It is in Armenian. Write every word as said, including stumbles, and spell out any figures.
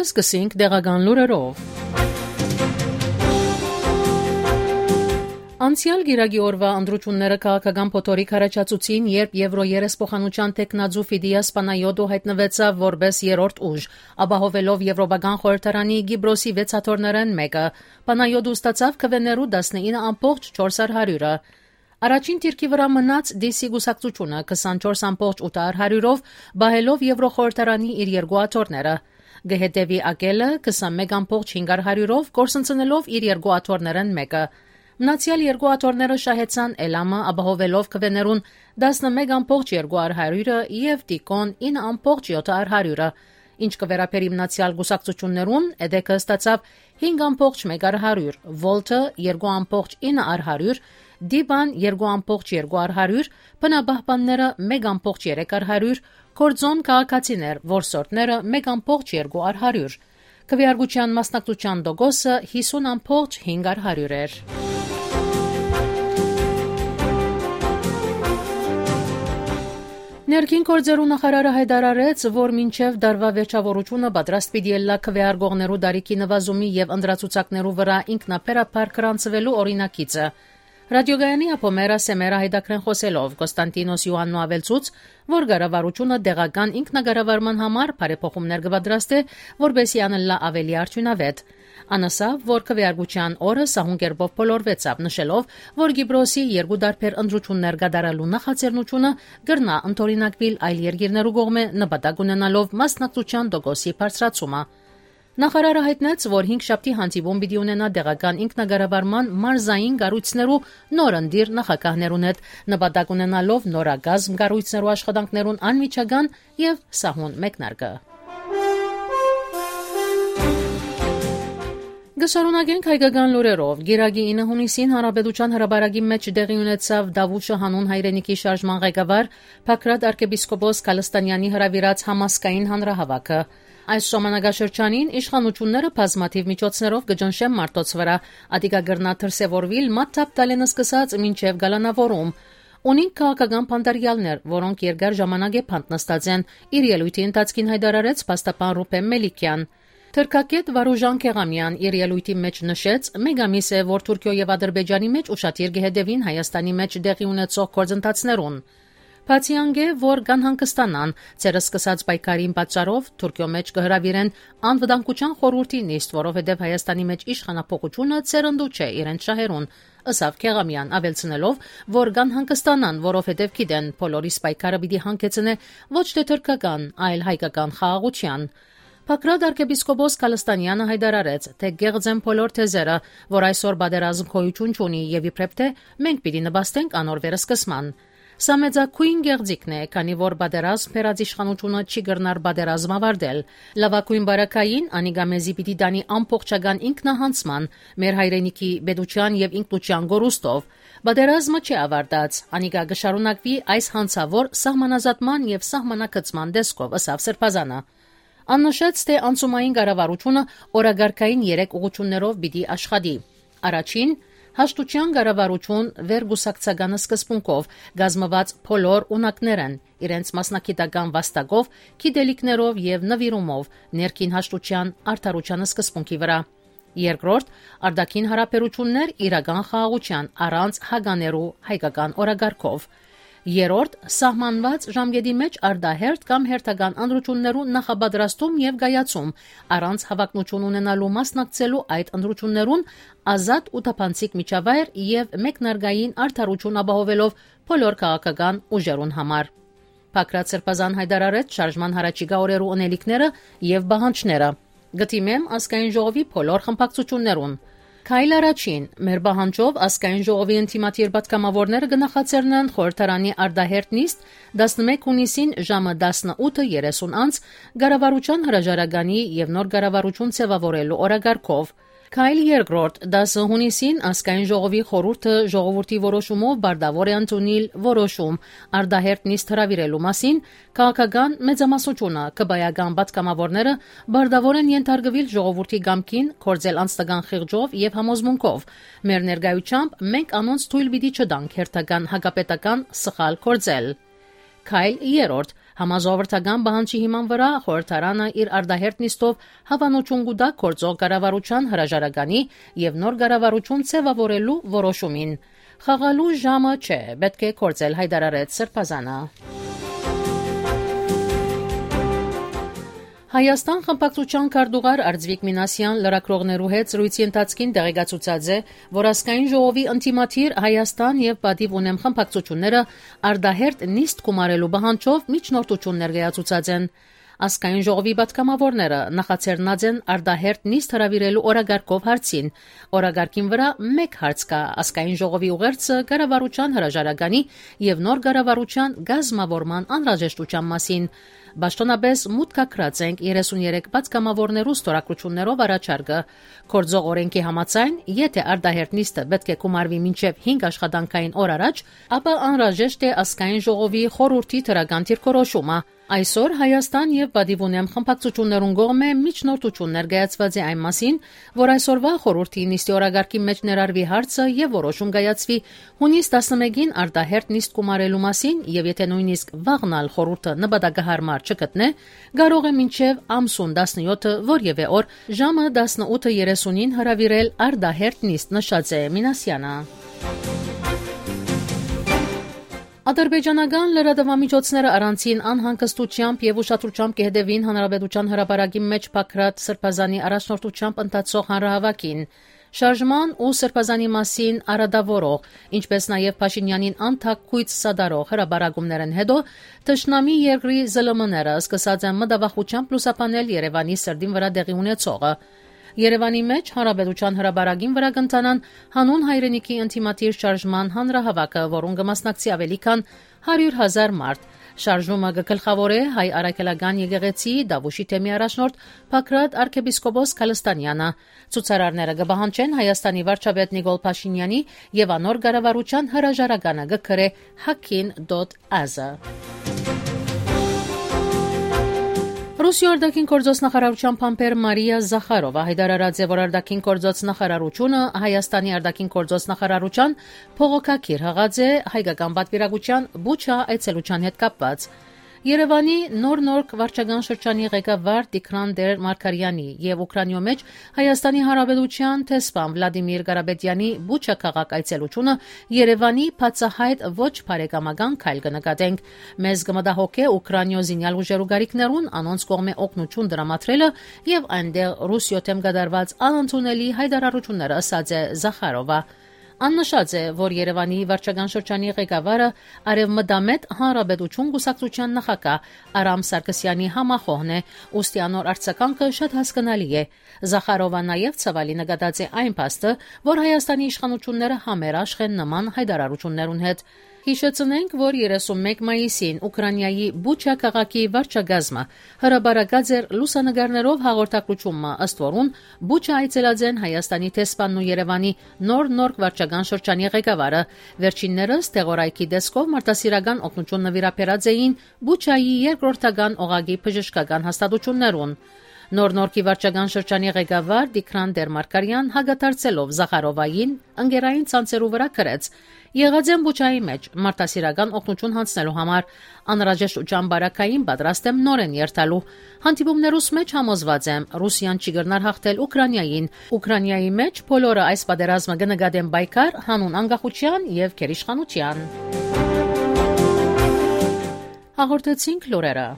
սկսենք դեղական լուրերով։ Անցյալ գիրագի օրվա ընտրությունները քաղաքական փոթորիկ առաջացուցին, երբ Եվրոերեսփոխանության տեխնաձու Ֆիդիաս Պանայոդո հայտնվեցավ որպես երրորդ ուժ, ապահովելով Եվրոպական խորհրդարանի Գիբրոսի վեց հաթոռներն մեկը։ Պանայոդը ստացավ քվեներու տասնինը ամբողջ չորս հարյուրը։ Առաջին թիրքի վրա մնաց դիսի գուսակցությունը քսանչորս ամբողջ ութ հարյուրով, բահելով Եվրոխորհրդարանի իր երկու աթոռները։ Գհետևի ակելը քսանմեկ ամբողջ հինգ հարյուրով, կորսնցնելով իր երկու աթոռներն մեկը։ Մնացյալ երկու աթոռները շահեցան Էլամը, ապահովելով քվեներուն տասնմեկ ամբողջ երկու հարյուրը եւ Տիկոն ինը ամբողջ յոթ հարյուրը։ Ինչ կվերապերի մնացյալ գուսակցություններուն, Էդեկը ստացավ հինգ ամբողջ մեկ հարյուր, Վոլտը երկու ամբողջ ինը հարյուր, Դիբան երկու ամբողջ երկու հարյուր, բնաբահբանները մեկ ամբողջ երեք հարյուր, Կորձոն քաղաքացիներ, որսորդները մեկ ամբողջ երկու հարյուր։ Քվեարկության մասնակցության դոգոսը հիսուն ամբողջ հինգ հարյուր էր։ Ներքին գործերու նախարարը հայտարարեց, որ մինչև դարվա վերջավորությունը պատրաստ պիտի ելլա քվեարկողներու դարիքի նվազումի եւ ընդրացուցակներու վրա ինքնաբերաբար գրանցվելու օրինակիցը։ Ռադիոգայանի ապոմերա Սեմերա հայտակրեն խոսելով Կոստանտինոս Յոաննու ավելցուց, որ կառավարությունը դեղական ինքնագարավարման համար բարեփոխումներ կպատրաստի, որբեսի անելլա ավելի արդյունավետ։ Անասավ, որ քվեարկության օրը սահուն կերպով բոլորվեցավ, նշելով, որ Գիբրոսի երկու դարբեր ընտրություններ կատարելու նախաձեռնությունը կրնա ընդօրինակվել այլ երկիրներու կողմէ նպատակ ունենալով մասնակցության տոկոսի բարձրացումը։ Նախարարը հայտնեց, որ հինգ շաբթի հանդիպում պիտի ունենա դեղական ինքնագարավարման մարզային կառույցներու նորընտիր նախագահներուն հետ, նպատակ ունենալով նորագազմ կառույցներու աշխատանքներուն անմիջական եւ սահուն մեկնարկը։ Գշարունակենք հայկական լուրերով։ Գիրագի ինը հունիսին Հանրապետության հրապարակի մեջ տեղի ունեցավ Դավուշը հանուն հայրենիքի շարժման ղեկավար Փակրատ arczepiskopos Կալստանյանի հրավիրած համասկային հանրահավաքը։ Այս ժամանակաշրջանին իշխանությունները բազմաթիվ միջոցներով կճնշեն մարդոց վրա, ադիկա գրնա դրսևորվել մատթապ տալենը սկսած մինչև գալանավորում։ Ունին քաղաքական փանդարյալներ, որոնք երկար ժամանակ է փանտնստած են, իր ելույթի ընթացքին հայտարարեց փաստաբան Ռուբեն Մելիքյան։ Թրքակետ Վարուժան Քեղամյան իր ելույթի մեջ նշեց, մեկ ամիս է, որ Թուրքիո եւ Ադրբեջանի մեջ ուշադիր գեհդեվին Հայաստանի մեջ դեղի ունեցող գործընթացներուն։ Բացի անգե, որ կան հանգստանան, ցերս սկսած պայքարին պատճառով Թուրքիո մեջ կհրավիրեն անվտանգության խորհրդի նիստ, որովհետեւ Հայաստանի մեջ իշխանապողությունը ցերնդու չէ իրենց շահերուն, ըսավ Քեղամյան, ավելցնելով, որ կան հանգստանան, որովհետեւ գիտեն բոլորիս պայքարը պիտի հանգեցնե ոչ թե թուրքական, այլ հայկական խաղաղության։ Փակրատ arczepiskopos Կալստանյանը հայտարարեց, թե գեղձեն բոլոր թեզերը, որ այսօր բادرազմ քոյություն ունի եւ իբրև թե մենք պիտի նպաստենք անոր վերսկսման։ Սա մեծակույն գեղձիկն է, քանի որ բادرազմ փերած իշխանությունը չի գրնար բادرազմ ավարտել։ Լավակույն բարակային անիգամեզի պիտի դանի ամբողջական ինքնահանցման, մեր հայրենիքի բեդության եւ ինքնության գորուստով։ Բادرազմը չի ավարտած, անիգա գշարունակվի այս հանցավոր սահմանազատման եւ սահմանակցման դեսքով, ըսավ Սրբազանը։ Աննշեց, թե անցումային կառավարությունը օրագարկային երեք ուղղություններով պիտի աշխատի։ Առաջին հաշտության կառավարություն վերգուսակցականը սկզբունքով գազմված բոլոր ունակներն իրենց մասնակիտական վաստակով, գիտելիքներով եւ նվիրումով ներքին հաշտության արդարության սկզբունքի վրա։ Երկրորդ արդակին հարաբերություններ իրական խաղաղության առանց հագաներու հայկական օրագարկով։ Երորդ սահմանված ժամկետի մեջ արդահերթ կամ հերթական ընտրություններու նախապատրաստում եւ գայացում առանց հավակնություն ունենալու մասնակցելու այդ ընտրություններուն ազատ ու թափանցիկ միջավայր եւ մեկնարկային արդարություն ապահովելով բոլոր քաղաքական ուժերուն համար։ Փակրատ Սրբազան հայտարարեց շարժման հարաճիգա օրերու ունելիքները եւ բանջները։ Գտիմեմ ազգային ժողովի բոլոր խմբակցություններուն։ Քայլ առաջին մեր բանջով ազգային ժողովի ինտիմատիր պատգամավորները կնախաձեռնեն խորհրդարանի արդահերթ նիստ տասնմեկ հունիսին ժամը տասնութը երեսուն անց կառավարության հրաժարականի եւ նոր կառավարություն ձևավորելու օրագարկով։ Քայլ երկրորդ դասը հունիսին ազգային ժողովի խորհուրդը ժողովրդի որոշումով բարդավոր է ընդունել որոշում արդահերթ նիստ հրավիրելու մասին, քաղաքական մեծամասնությունը կբայական պատգամավորները բարդավոր են ենթարկվել ժողովրդի գամքին, կորձել անձնական խիղճով եւ համոզմունքով։ Մեր ներկայությամբ մենք անոնց թույլ պիտի չտանք հերթական հակապետական սխալ կորձել։ Քայլ երրորդ Համաժողովրդական բանջի հիման վրա խորհրդարանը իր արդահերտ նիստով հավանություն կուտա գործող կառավարության հրաժարականի եւ նոր կառավարություն ձևավորելու որոշումին։ Խաղալու ժամը չէ, պետք է կործել հայտարարեց Սրբազանը։ Հայաստան խմբակցության քարտուղար Արձվիկ Մինասյան լրագրողներու հետ զրույցի ընթացքին տեղեկացուցած է, որ ազգային ժողովի ինտիմատիր Հայաստան եւ Պատիվ ունեմ խմբակցությունները արդահերտ նիստ կումարելու բանջով միջնորդություն ներկայացուցած են։ Ազգային ժողովի պատգամավորները նախաձեռնած են արդահերտ նիստ հրավիրելու օրագարկով հարցին։ Օրագարկին վրա մեկ հարց կա ազգային ժողովի ուղերձը կառավարության հրաժարականի եւ նոր կառավարության գազմավորման անհրաժեշտության մասին։ Բաշտոնապես մուտքակրած ենք երեսունյերեք պատգամավորներու ստորագրություններով առաջարկը։ Գործող օրենքի համաձայն, եթե արդահերտ նիստը պետք է կումարվի մինչև հինգ աշխատանքային օր առաջ, ապա անհրաժեշտ է ազգային ժողովի խորհրդի թրական դիրքորոշումը։ Այսօր Հայաստան եւ Պատիվ ունեմ խմբակցություններուն կողմէ միջնորդություն ներկայացված է այն մասին, որ այսօրվա խորհրդի նիստի օրագարկի մեջ ներառվի հարցը եւ որոշում կայացվի հունիս տասնմեկին արդահերտ նիստ կումարելու մասին եւ եթե նույնիսկ վաղնալ խորհուրդը նպատակահարմար չգտնե, կարող է մինչև ամսուն տասնյոթը որևէ օր ժամը տասնութը երեսունին հրավիրել արդահերտ նիստ, նշած է Մինասյանը։ Ադրբեջանական լրատվամիջոցները առանցին անհանգստությամբ եւ ուշադրությամբ կհետևին հանրապետության հրապարակի մեջ Փակրատ Սրբազանի առաջնորդությամբ ընթացող հանրահավաքին։ Շարժման ու Սրբազանի մասին արադավորող, ինչպես նաեւ Փաշինյանին անթակույց սադարող հրապարակումներն հետո Թշնամի երկրի զլմ-ները սկսած են մտավախությամբ լուսաբանել Երևանի սրդին վրա տեղի ունեցողը։ Երևանի մեջ հանրապետության հրապարակին վրա կընթանան հանուն հայրենիքի ինտիմատիր շարժման հանրահավաքը, որուն կմասնակցի ավելի քան հարյուր հազար մարդ։ Շարժումը կգլխավորե հայ առաքելական եկեղեցի Դավուշի թեմի առաջնորդ Փակրատ arczepiskopos Քալստանյանը։ Ցուցարարները կբահանջեն Հայաստանի վարչապետ Նիկոլ Փաշինյանի եւ անոր կառավարության հրաժարականը գկրե hakin dot az-ը։ Ռուսիա արտաքին գործոս նախարարության փամփեր Մարիա Զախարովա հայտարարած է, որ արտաքին գործոս նախարարությունը Հայաստանի արտաքին գործոս նախարարության փողոքակիր հղած է հայկական պատվիրակության Բուչա այցելության հետ կապված։ Երևանի նոր-նոր վարչական շրջանի ղեկավար Տիգրան Մարկարյանի եւ Ուկրաինայում մեջ Հայաստանի Հանրապետության տեսփան Վլադիմիր Ղարաբեդյանի Բուչա քաղաք այցելությունը Երևանի բացահայտ ոչ բարեկամական քայլ կնկատենք։ Մեզ կմտահոգե Ուկրաինայ զինյալ ուժերու գարիկներուն անոնց կողմէ օգնություն դրամատրելը եւ այնտեղ Ռուսիո դեմ կդարված անընդունելի հայտարարությունները, ասաց է Զախարովա։ Աննշած է, որ Երևանի վարչական շրջանի ղեկավարը Արևմտամետ Հանրապետություն կուսակցության նախագահ Արամ Սարգսյանի համախոհն է, ուստի անոր արձագանքը շատ հասկանալի է։ Զախարովը նաև ցավալի նկատած է այն փաստը, որ Հայաստանի իշխանությունները համերաշխ են նման հայտարարություններուն հետ։ Հիշեցնենք, որ երեսունմեկ մայիսին Ուկրաինայի Բուչա քաղաքի վարչագազմը հրաբարակած էր լուսանկարներով հաղորդակցումը, ըստ որուն Բուչա այցելած են Հայաստանի տեսփանն ու Երևանի նոր-նոր վարչական շրջանի ղեկավարը։ Վերջիններս տեղորայքի դեսկով մարդասիրական օգնություն նվիրապերած էին Բուչայի երկրորդական օղակի բժշկական հաստատություններուն։ Նոր-նորքի վարչական շրջանի ղեկավար Տիգրան Մարկարյան հագադարձելով Զախարովային ընկերային ցանցերու վրա գրեց. «Եղած եմ Բուչայի մեջ մարդասիրական օգնություն հանձնելու համար, անհրաժեշտության բարակային պատրաստ եմ նորեն երթալու։ Հանդիպումներուս մեջ համոզված եմ, Ռուսիան չի գնար հաղթել Ուկրաինային։ Ուկրաինայի մեջ բոլորը այս պատերազմը կնկատեն պայքար հանուն անկախության եւ գերիշխանության»։ Հաղորդեցինք լուրերը։